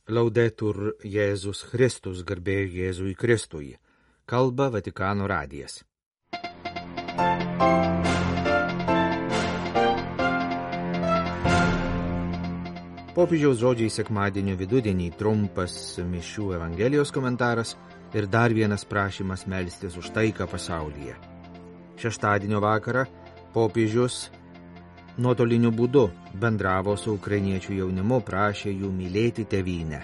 Laudetur Jėzus Kristus, garbė Jėzui Kristui. Kalba Vatikano radijas. Popiežiaus žodžiai sekmadienio vidudienį trumpas mišių Evangelijos komentaras ir dar vienas prašymas melstis už taiką pasaulyje. Šeštadienio vakarą popiežius nuotoliniu būdu bendravo su ukrainiečių jaunimu, prašė jų mylėti tėvynę.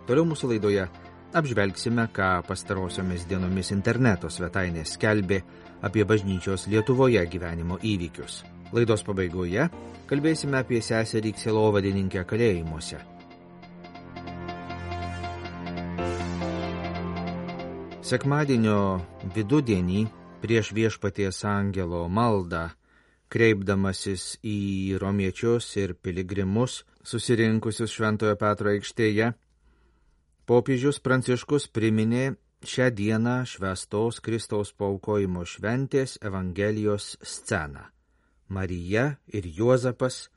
Toliau mūsų laidoje apžvelgsime, ką pastarosiomis dienomis interneto svetainės skelbė apie bažnyčios Lietuvoje gyvenimo įvykius. Laidos pabaigoje kalbėsime apie seserį sielovadininkę kalėjimuose. Sekmadienio vidudienį prieš Viešpaties angelo maldą, kreipdamasis į romiečius ir piligrimus susirinkusius Šventojo Petro aikštėje, popiežius Pranciškus priminė šią dieną švęstos Kristaus paaukojimo šventės Evangelijos sceną. Marija ir Juozapas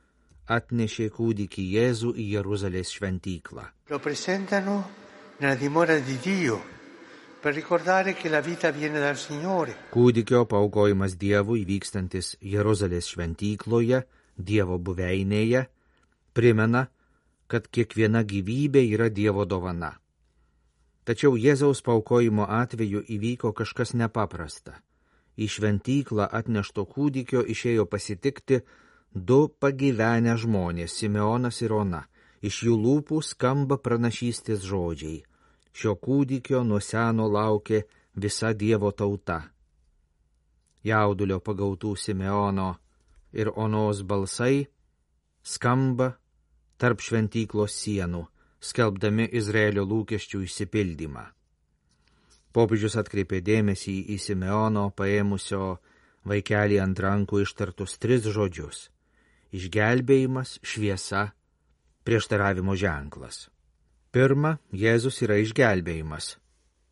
atnešė kūdikį Jėzų į Jeruzalės šventyklą. Lo presentano nella dimora di Dio. Per ricordare che la vita viene dal Signore. Kūdikio paaukojimas Dievui vykstantis Jeruzalės šventykloje, Dievo buveinėje, primena, kad kiekviena gyvybė yra Dievo dovana. Tačiau Jėzaus paaukojimo atveju įvyko kažkas nepaprasta. Į šventyklą atnešto kūdikio išėjo pasitikti du pagyvenę žmonės, Simeonas ir Ona. Iš jų lūpų skamba pranašystės žodžiai. Šio kūdikio nuo seno laukė visa Dievo tauta. Jaudulio pagautų Simeono ir Onos balsai skamba tarp šventyklos sienų, skelbdami Izraelio lūkesčių išsipildymą. Popiežius atkreipė dėmesį į Simeono paėmusio vaikelį ant rankų ištartus 3 žodžius: išgelbėjimas, šviesa, prieštaravimo ženklas. Pirma, Jėzus yra išgelbėjimas.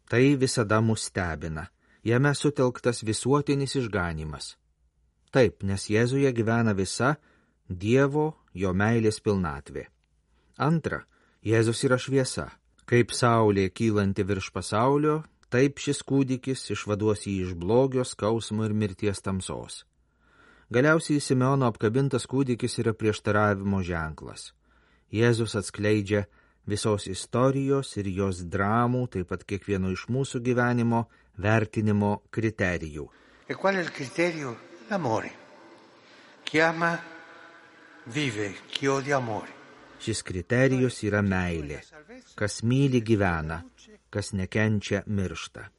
Tai visada mus stebina. Jame sutelktas visuotinis išganymas. Taip, nes Jėzuje gyvena visa Dievo, jo meilės pilnatvė. Antra, Jėzus yra šviesa. Kaip saulė kylanti virš pasaulio, taip šis kūdikis išvaduos jį iš blogio, skausmo ir mirties tamsos. Galiausiai Simeono apkabintas kūdikis yra prieštaravimo ženklas. Jėzus atskleidžia visos istorijos ir jos dramų, taip pat kiekvieno iš mūsų gyvenimo vertinimo kriterijų. E qual è il criterio? L'amore. Chi ama vive, chi odia amore. Šis kriterijus yra meilė. Kas myli gyvena, kas nekenčia miršta.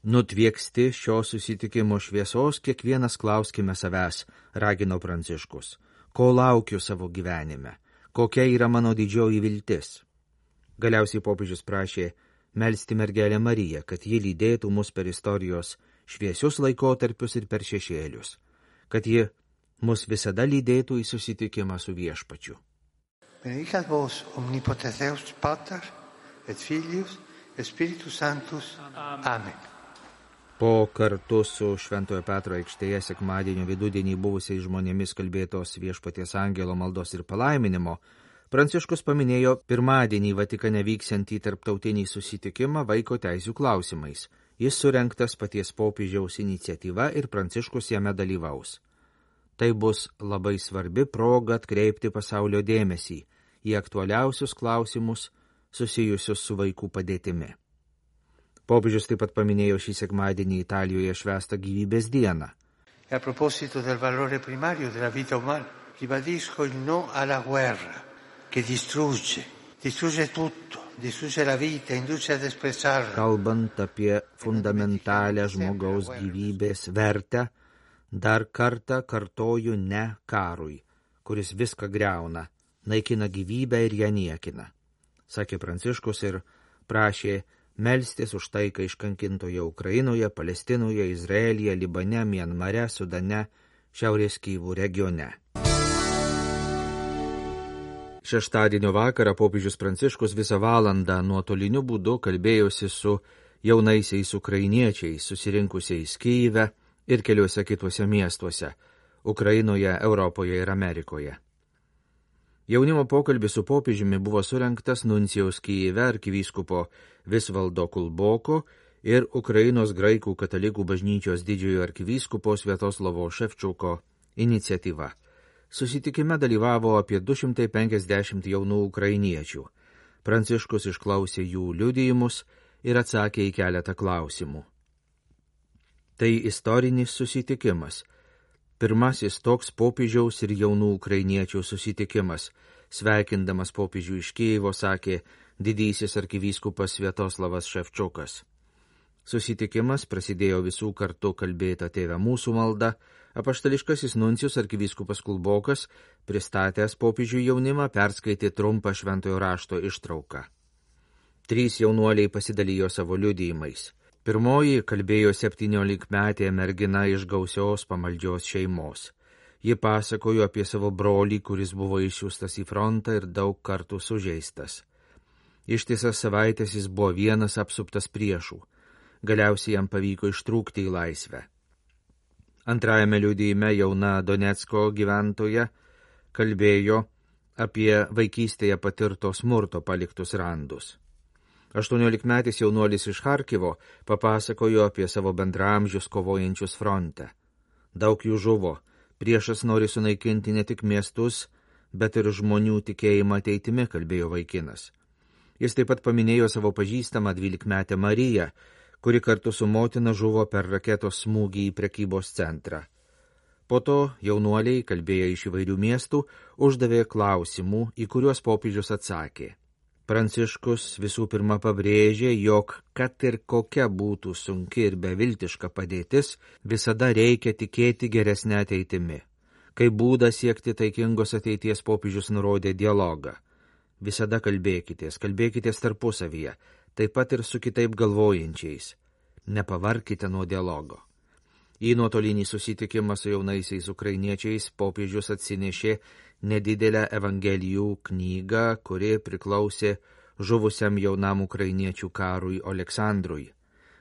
Nutvieksti šio susitikimo šviesos, kiekvienas klauskime savęs, ragino Pranciškus. Ko laukiu savo gyvenime? Kokia yra mano didžioji viltis? Galiausiai popiežius prašė melsti mergelę Mariją, kad ji lydėtų mus per istorijos šviesius laikotarpius ir per šešėlius, kad ji mus visada lydėtų į susitikimą su Viešpačiu. Benedicat vos omnipotens Deus Pater et Filius et Spiritus Sanctus. Amen. Po kartu su Šventojo Petro aikštėje sekmadienio vidudienį buvusiais žmonėmis kalbėtos Viešpaties angelo maldos ir palaiminimo, Pranciškus paminėjo pirmadienį Vatikane vyksiantį tarptautinį susitikimą vaiko teisių klausimais. Jis surengtas paties popiežiaus iniciatyva ir Pranciškus jame dalyvaus. Tai bus labai svarbi proga atkreipti pasaulio dėmesį į aktualiausius klausimus susijusius su vaikų padėtimi. Popiežius taip pat paminėjo šį sekmadienį Italijoje švęstą gyvybės dieną. A proposito del valore primario della vita umana, ribadisco il no alla guerra. Che distrugge tutto, distrugge la vita, induce ad espressarla. Kalbant apie fundamentalią žmogaus gyvybės vertę, dar kartą kartoju ne karui, kuris viską griauna, naikina gyvybę ir ją niekina, sakė Pranciškus ir prašė melstis už taiką iškankintoje Ukrainoje, Palestinoje, Izraelyje, Libane, Mianmare, Sudane, Šiaurės Kyvų regione. Šeštadienio vakarą popiežius Pranciškus visą valandą nuotoliniu būdu kalbėjosi su jaunaisiais ukrainiečiais susirinkusiais Kyjive ir keliuose kituose miestuose – Ukrainoje, Europoje ir Amerikoje. Jaunimo pokalbis su popiežiumi buvo surengtas nuncijaus Kijeve arkivyskupo Visvaldo Kulboko ir Ukrainos graikų katalikų bažnyčios didžiojo arkivyskupo Sviatoslavo Ševčiuko iniciatyva. Susitikime dalyvavo apie 250 jaunų ukrainiečių. Pranciškus išklausė jų liudijimus ir atsakė į keletą klausimų. Tai istorinis susitikimas. Pirmasis toks popiežiaus ir jaunų ukrainiečių susitikimas. Sveikindamas popiežių iš Kijevo, sakė didysis arkivyskupas Sviatoslavas Ševčiukas. Susitikimas prasidėjo visų kartu kalbėta Tėve mūsų malda. Apaštališkasis nuncijus arkivyskupas Kulbokas, pristatęs popiežių jaunimą, perskaitė trumpą šventojo rašto ištrauką. 3 jaunuoliai pasidalijo savo liudijimais. Pirmoji kalbėjo 17-metė mergina iš gausios pamaldžios šeimos. Ji pasakojo apie savo brolį, kuris buvo išsiųstas į frontą ir daug kartų sužeistas. Ištisas savaitės jis buvo vienas apsuptas priešų. Galiausiai jam pavyko ištrūkti į laisvę. Antrajame liudijime jauna Donecko gyventoja kalbėjo apie vaikystėje patirto smurto paliktus randus. 18-metis jaunuolis iš Charkivo papasakojo apie savo bendraamžius kovojančius fronte. Daug jų žuvo. Priešas nori sunaikinti ne tik miestus, bet ir žmonių tikėjimą ateitimi, kalbėjo vaikinas. Jis taip pat paminėjo savo pažįstamą 12-metę Mariją, kuri kartu su motina žuvo per raketos smūgį į prekybos centrą. Po to jaunuoliai, kalbėję iš įvairių miestų, uždavė klausimų, į kuriuos popiežius atsakė. Pranciškus visų pirma pabrėžė, jog kad ir kokia būtų sunki ir beviltiška padėtis, visada reikia tikėti geresnę ateitimi. Kaip būdą siekti taikingos ateities popiežius nurodė dialogą. Visada kalbėkitės tarpusavyje, taip pat ir su kitaip galvojančiais. Nepavarkite nuo dialogo. Į nuotolinį susitikimą su jaunaisiais ukrainiečiais popiežius atsinešė nedidelę evangelijų knygą, kuri priklausė žuvusiam jaunam ukrainiečių karui Oleksandrui.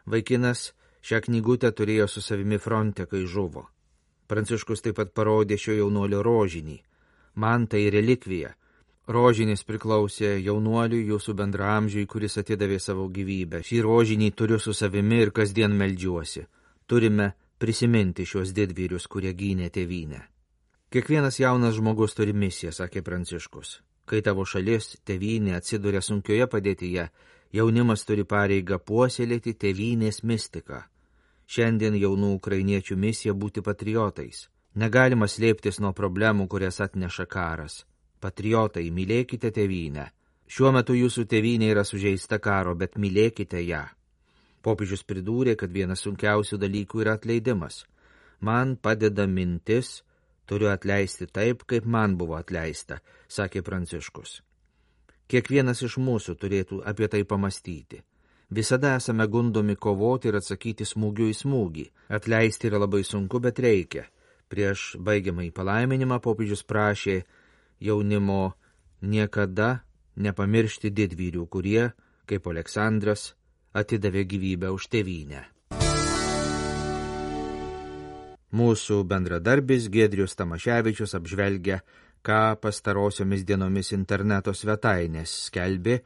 Vaikinas šią knygutę turėjo su savimi fronte, kai žuvo. Pranciškus taip pat parodė šio jaunuolio rožinį. Man tai relikvija. Rožinis priklausė jaunuoliui, jūsų bendraamžiui, kuris atidavė savo gyvybę. Šį rožinį turiu su savimi ir kasdien meldžiuosi. Turime prisiminti šios didvyrius, kurie gynė tėvynę. Kiekvienas jaunas žmogus turi misiją, sakė Pranciškus. Kai tavo šalis, tėvynė atsiduria sunkioje padėtyje, jaunimas turi pareigą puoselėti tėvynės mistiką. Šiandien jaunų ukrainiečių misija būti patriotais. Negalima slėptis nuo problemų, kurias atneša karas. Patriotai, mylėkite tėvynę. Šiuo metu jūsų tėvynė yra sužeista karo, bet mylėkite ją. Popiežius pridūrė, kad vienas sunkiausių dalykų yra atleidimas. Man padeda mintis, turiu atleisti taip, kaip man buvo atleista, sakė Pranciškus. Kiekvienas iš mūsų turėtų apie tai pamastyti. Visada esame gundomi kovoti ir atsakyti smūgiu į smūgį. Atleisti yra labai sunku, bet reikia. Prieš baigiamąjį palaiminimą popiežius prašė jaunimo niekada nepamiršti didvyrių, kurie, kaip Aleksandras, atidavė gyvybę už tėvynę. Mūsų bendradarbis Giedrius Tamaševičius apžvelgia, ką pastarosiomis dienomis interneto svetainės skelbė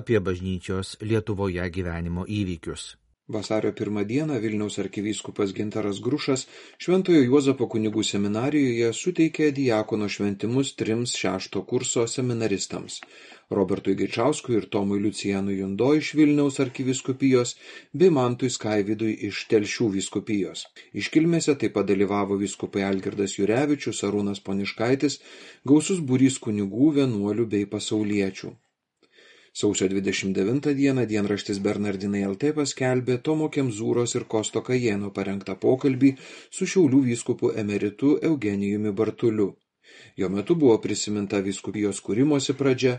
apie bažnyčios Lietuvoje gyvenimo įvykius. Vasario 1 dieną Vilniaus arkivyskupas Gintaras Grušas Šventojo Juozapo kunigų seminarijoje suteikė diakono šventimus 3 6 kurso seminaristams – Robertui Gaičauskui ir Tomui Liucijanui Jundo iš Vilniaus arkivyskupijos bei Mantui Skaivydui iš Telšių vyskupijos. Iškilmėse taip pat dalyvavo vyskupai Algirdas Jurevičius, Arūnas Poniškaitis, gausus būrys kunigų, vienuolių bei pasauliečių. Sausio 29 dieną dienraštis Bernardinai LT paskelbė Tomo Kemzūros ir Kosto Kajėno parengtą pokalbį su Šiaulių vyskupu emeritu Eugenijumi Bartuliu. Jo metu buvo prisiminta vyskupijos kūrimosi pradžia,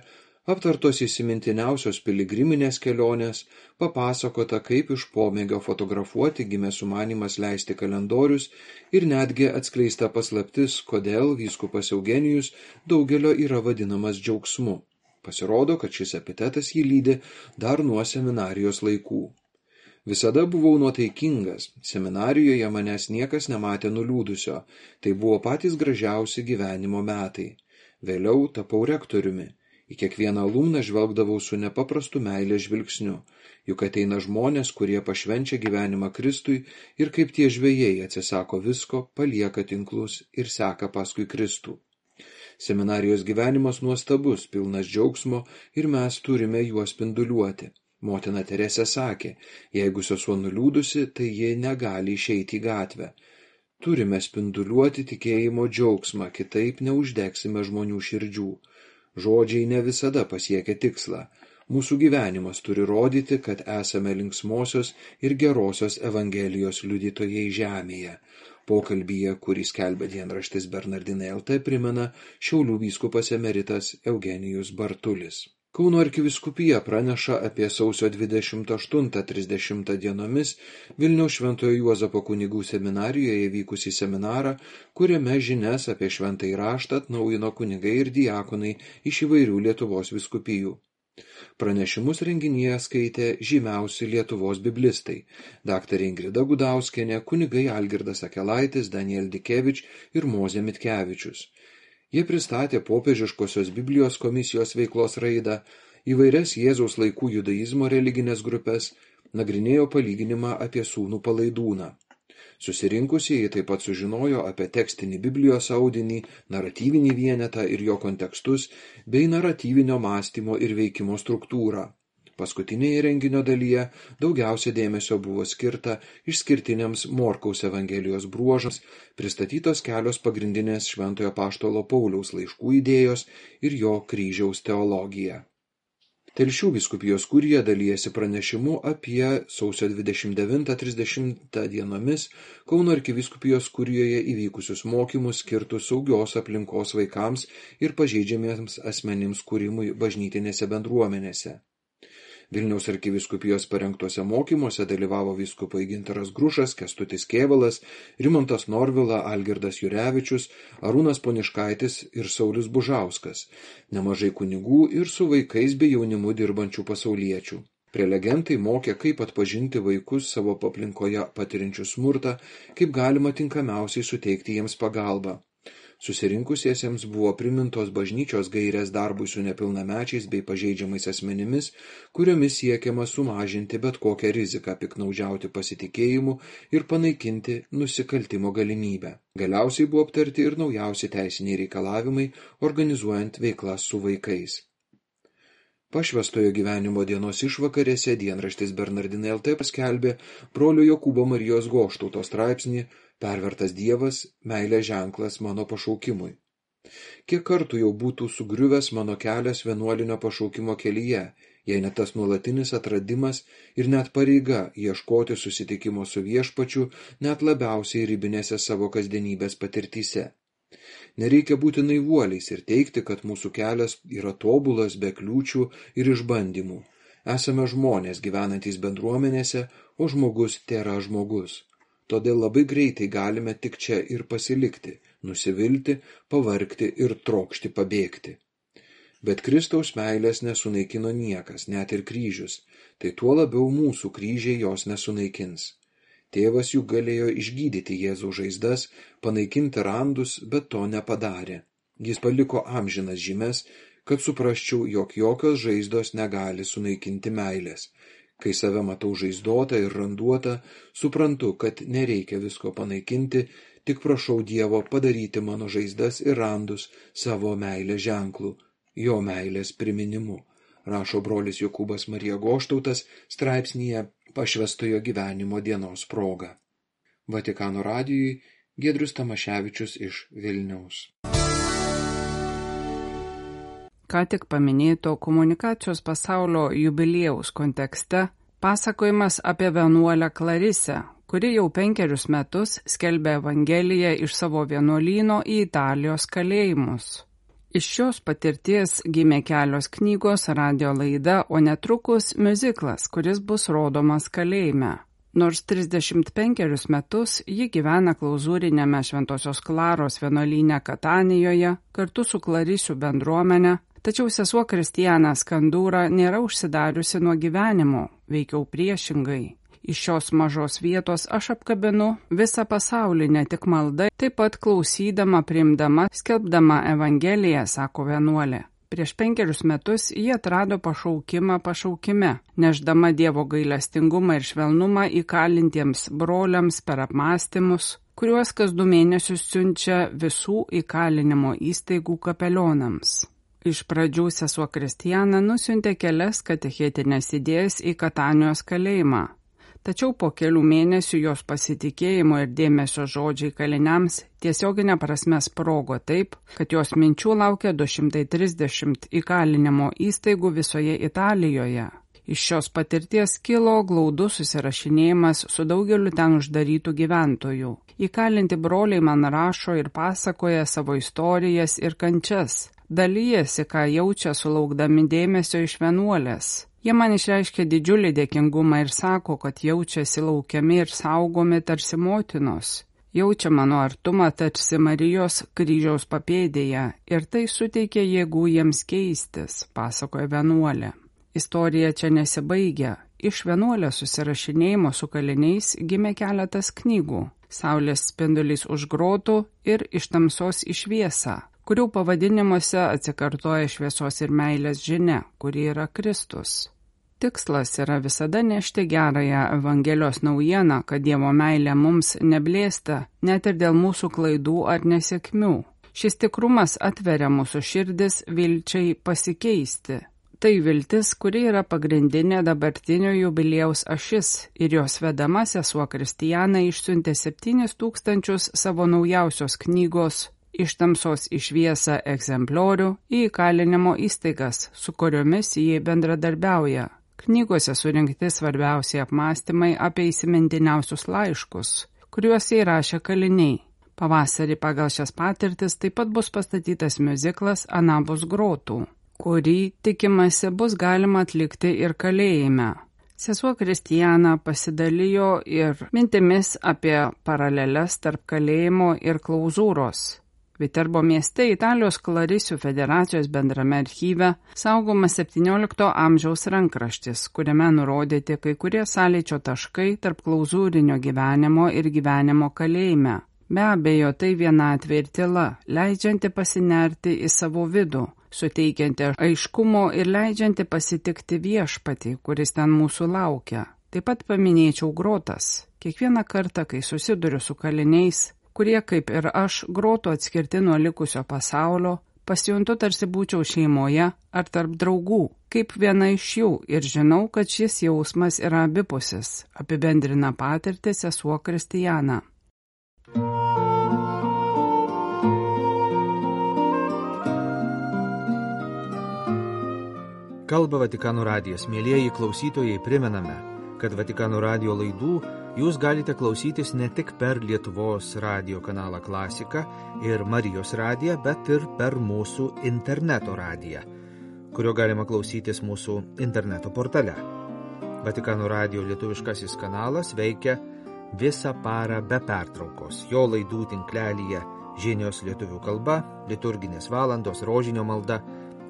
aptartos įsimintiniausios piligriminės kelionės, papasakota, kaip iš pomėgio fotografuoti gimė sumanymas leisti kalendorius ir netgi atskleista paslaptis, kodėl vyskupas Eugenijus daugelio yra vadinamas džiaugsmu. Pasirodo, kad šis epitetas jį lydi dar nuo seminarijos laikų. Visada buvau nuotaikingas, seminarijoje manęs niekas nematė nuliūdusio, tai buvo patys gražiausi gyvenimo metai. Vėliau tapau rektoriumi. Į kiekvieną alumną žvelgdavau su nepaprastu meilės žvilgsniu, juk ateina žmonės, kurie pašvenčia gyvenimą Kristui ir kaip tie žvejai atsisako visko, palieka tinklus ir seka paskui Kristų. Seminarijos gyvenimas nuostabus, pilnas džiaugsmo ir mes turime juos spinduliuoti. Motina Teresė sakė, jeigu sesuo nuliūdusi, tai ji negali išeiti į gatvę. Turime spinduliuoti tikėjimo džiaugsmą, kitaip neuždegsime žmonių širdžių. Žodžiai ne visada pasiekia tikslą. Mūsų gyvenimas turi rodyti, kad esame linksmosios ir gerosios Evangelijos liudytojai žemėje. Pokalbyje, kurį skelbia dienraštis Bernardinai LT, primena Šiaulių vyskupas emeritas Eugenijus Bartulis. Kauno arkivyskupija praneša apie sausio 28-30 dienomis Vilniaus Šventojo Juozapo kunigų seminarijoje vykusį seminarą, kuriame žinias apie šventąjį raštą atnaujino kunigai ir diakonai iš įvairių Lietuvos vyskupijų. Pranešimus renginyje skaitė žymiausi Lietuvos biblistai – daktarė Ingrida Gudauskienė, kunigai Algirdas Akelaitis, Daniel Dikevič ir Mozė Mitkevičius. Jie pristatė popiežiškosios Biblijos komisijos veiklos raidą, įvairias Jėzaus laikų judaizmo religinės grupės, nagrinėjo palyginimą apie sūnų Palaidūną. Susirinkusieji taip pat sužinojo apie tekstinį Biblijos audinį, naratyvinį vienetą ir jo kontekstus, bei naratyvinio mąstymo ir veikimo struktūrą. Paskutinėje renginio dalyje daugiausia dėmesio buvo skirta išskirtiniams Morkaus Evangelijos bruožams, pristatytos kelios pagrindinės Šventojo Apaštalo Pauliaus laiškų idėjos ir jo kryžiaus teologija. Telšių vyskupijos kurija dalijasi pranešimu apie sausio 29-30 dienomis Kauno arkivyskupijos kurijoje įvykusius mokymus skirtus saugios aplinkos vaikams ir pažeidžiamiems asmenims kūrimui bažnytinėse bendruomenėse. Vilniaus arkivyskupijos parengtuose mokymuose dalyvavo vyskupai Gintaras Grušas, Kęstutis Kėvalas, Rimantas Norvila, Algirdas Jurevičius, Arūnas Poniškaitis ir Saulius Bužauskas, nemažai kunigų ir su vaikais bei jaunimu dirbančių pasauliečių. Prelegentai mokė, kaip atpažinti vaikus savo aplinkoje patiriančius smurtą, kaip galima tinkamiausiai suteikti jiems pagalbą. Susirinkusiesiems buvo primintos bažnyčios gairės darbui su nepilnamečiais bei pažeidžiamais asmenimis, kuriomis siekiama sumažinti bet kokią riziką piknaudžiauti pasitikėjimu ir panaikinti nusikaltimo galimybę. Galiausiai buvo aptarti ir naujausi teisiniai reikalavimai, organizuojant veiklas su vaikais. Pašvęstojo gyvenimo dienos išvakarėse dienraštis Bernardinai LT paskelbė brolio Jokūbo Marijos Goštauto straipsnį Pervertas Dievas, meilės ženklas mano pašaukimui. Kiek kartų jau būtų sugriuvęs mano kelias vienuolinio pašaukimo kelyje, jei ne tas nuolatinis atradimas ir net pareiga ieškoti susitikimo su viešpačiu net labiausiai ribinėse savo kasdienybės patirtyse. Nereikia būti naivuoliais ir teigti, kad mūsų kelias yra tobulas be kliūčių ir išbandymų. Esame žmonės gyvenantys bendruomenėse, o žmogus tėra žmogus. Todėl labai greitai galime tik čia ir pasilikti, nusivilti, pavargti ir trokšti pabėgti. Bet Kristaus meilės nesunaikino niekas, net ir kryžius, tai tuo labiau mūsų kryžiai jos nesunaikins. Tėvas juk galėjo išgydyti Jėzaus žaizdas, panaikinti randus, bet to nepadarė. Jis paliko amžinas žymes, kad suprasčiau, jog jokios žaizdos negali sunaikinti meilės. Kai save matau žaizdotą ir randuotą, suprantu, kad nereikia visko panaikinti, tik prašau Dievo padaryti mano žaizdas ir randus savo meilės ženklų, jo meilės priminimu, rašo brolis Jokūbas Marija Goštautas straipsnyje Pašvęstojo gyvenimo dienos proga. Vatikano radijui Giedrius Tamaševičius iš Vilniaus. Ką tik paminėto komunikacijos pasaulio jubiliejaus kontekste pasakojimas apie vienuolę Klarisę, kuri jau 5 metus skelbė Evangeliją iš savo vienuolyno į Italijos kalėjimus. Iš šios patirties gimė kelios knygos, radio laida, o netrukus miuziklas, kuris bus rodomas kalėjime. Nors 35 metus ji gyvena klauzūrinėme Šventosios Klaros vienuolyne Katanijoje kartu su Klarisių bendruomenė, tačiau sesuo Kristijana Skandūra nėra užsidariusi nuo gyvenimo, veikiau priešingai. Iš šios mažos vietos aš apkabinu visą pasaulį, ne tik malda, taip pat klausydama, priimdama, skelbdama Evangeliją, sako vienuolė. Prieš 5 metus ji atrado pašaukimą pašaukime, neždama Dievo gailestingumą ir švelnumą įkalintiems broliams per apmąstymus, kuriuos kas 2 mėnesius siunčia visų įkalinimo įstaigų kapelionams. Iš pradžių sesuo Kristijana nusiuntė kelias katechetinės idėjas į Katanijos kalėjimą. Tačiau po kelių mėnesių jos pasitikėjimo ir dėmesio žodžiai kaliniams tiesioginė prasme sprogo taip, kad jos minčių laukia 230 įkalinimo įstaigų visoje Italijoje. Iš šios patirties kilo glaudus susirašinėjimas su daugeliu ten uždarytų gyventojų. Įkalinti broliai man rašo ir pasakoja savo istorijas ir kančias. Dalyjasi, ką jaučia sulaukdami dėmesio iš vienuolės. Jie man išreiškia didžiulį dėkingumą ir sako, kad jaučiasi laukiami ir saugomi tarsi motinos. Jaučia mano artumą tarsi Marijos kryžiaus papėdėje ir tai suteikia jėgų jiems keistis, pasakoja vienuolė. Istorija čia nesibaigia. Iš vienuolės susirašinėjimo su kaliniais gimė keletas knygų. Saulės spindulys už grotų ir Iš tamsos į šviesą, kurių pavadinimuose atsikartoja šviesos ir meilės žinia, kuri yra Kristus. Tikslas yra visada nešti gerąją Evangelijos naujieną, kad Dievo meilė mums neblėsta, net ir dėl mūsų klaidų ar nesėkmių. Šis tikrumas atveria mūsų širdis vilčiai pasikeisti. Tai viltis, kuri yra pagrindinė dabartinio jubiliejaus ašis ir jos vedama sesuo Kristijana išsiuntė 7000 savo naujausios knygos Iš tamsos į šviesą egzempliorių į įkalinimo įstaigas, su kuriomis jie bendradarbiauja. Knygose surinkti svarbiausiai apmąstymai apie įsimintiniausius laiškus, kuriuos įrašė kaliniai. Pavasarį pagal šias patirtis taip pat bus pastatytas miuziklas Anapus grotų, kurį, tikimasi, bus galima atlikti ir kalėjime. Sesuo Kristijana pasidalijo ir mintimis apie paraleles tarp kalėjimo ir klauzūros. Viterbo mieste Italijos Klarisių federacijos bendrame archyve saugomas 17 amžiaus rankraštis, kuriame nurodyti kai kurie sąlyčio taškai tarp klauzūrinio gyvenimo ir gyvenimo kalėjime. Be abejo, tai vienatvė ir tyla, leidžianti pasinerti į savo vidų, suteikianti aiškumo ir leidžianti pasitikti viešpatį, kuris ten mūsų laukia. Taip pat paminėčiau grotas. Kiekvieną kartą, kai susiduriu su kaliniais, kurie, kaip ir aš, grotų atskirti nuo likusio pasaulio, pasijuntu tarsi būčiau šeimoje ar tarp draugų, kaip viena iš jų ir žinau, kad šis jausmas yra abipusis, apibendrina patirtį sesuo Kristijana. Kalba Vatikano radijas. Mielieji klausytojai, primename, kad Vatikano radijo laidų jūs galite klausytis ne tik per Lietuvos radijo kanalą Klasika ir Marijos radiją, bet ir per mūsų interneto radiją, kurio galima klausytis mūsų interneto portale. Vatikano radijo lietuviškasis kanalas veikia visą parą be pertraukos. Jo laidų tinklelyje žinios lietuvių kalba, liturginės valandos, rožinio malda,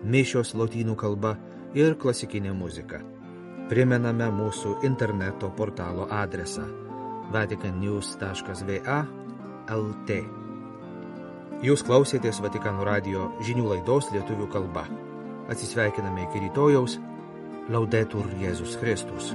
mišios lotynų kalba ir klasikinė muzika. Primename mūsų interneto portalo adresą vaticannews.va/lt. Jūs klausėtės Vatikano radijo žinių laidos lietuvių kalba. Atsisveikiname iki rytojaus. Laudetur Jėzus Kristus.